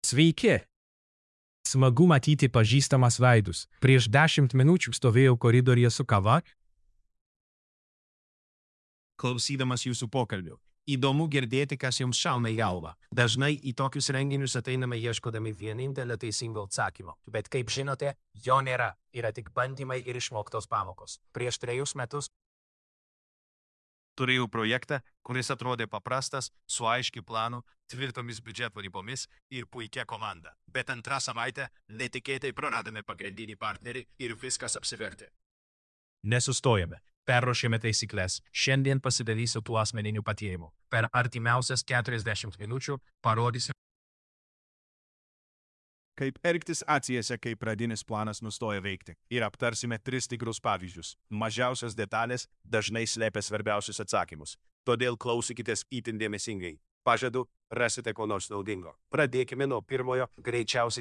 Sveiki! Smagu matyti pažįstamas veidus. Prieš 10 minučių stovėjau koridoriuje su kava. Klausydamas jūsų pokalbių. Įdomu girdėti, kas jums šauna į galvą. Dažnai į tokius renginius ateiname ieškodami vienintelio teisingo atsakymo. Bet kaip žinote, jo nėra. Yra tik bandymai ir išmoktos pamokos. Prieš 3 metus turėjau projektą, kuris atrodė paprastas, su aiškiu planu, tvirtomis biudžeto ribomis ir puikia komanda. Bet antrą savaitę netikėtai praradome pagrindinį partnerį ir viskas apsivertė. Nesustojame. Perruošėme taisyklės. Šiandien pasidalysiu tuo asmeniniu patyrimu. Per artimiausias 40 minučių parodysiu, kaip elgtis atsijose, kai pradinis planas nustoja veikti. Ir aptarsime 3 tikrus pavyzdžius. Mažiausios detalės dažnai slėpia svarbiausius atsakymus. Todėl klausykitės itin dėmesingai. Pažadu, rasite ko nors naudingo. Pradėkime nuo pirmojo, greičiausiai